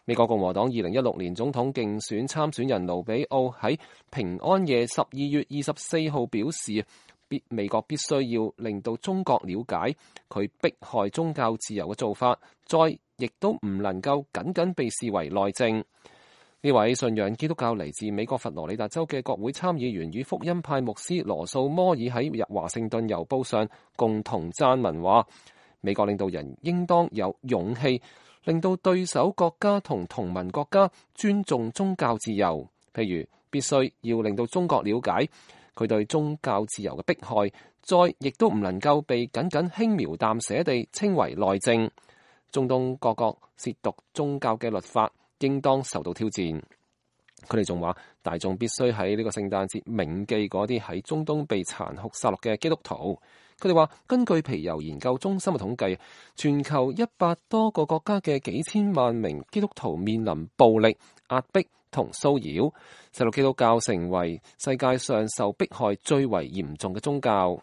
美國共和黨2016年總統競選參選人盧比奧喺平安夜12月24號表示，美國必須要令到中國了解佢迫害宗教自由嘅做法，再亦都唔能夠僅僅被視為內政。呢位信仰基督教嚟自美國佛羅里達州嘅國會參議員與福音派牧師羅素摩爾喺華盛頓郵報上共同撰文話，美國領導人應當有勇氣令到對手國家同同盟國家尊重宗教自由，譬如必須要令到中國了解佢對宗教自由嘅迫害，再亦都唔能夠被僅僅輕描淡寫地稱為內政。中東各國褻瀆宗教嘅律法應當受到挑戰。佢哋仲話，大眾必須喺呢個聖誕節銘記嗰啲喺中東被殘酷殺戮嘅基督徒。佢哋話，根據皮尤研究中心嘅統計，全球100多個國家嘅幾千萬名基督徒面臨暴力、壓迫同騷擾，使到基督教成為世界上受迫害最為嚴重嘅宗教。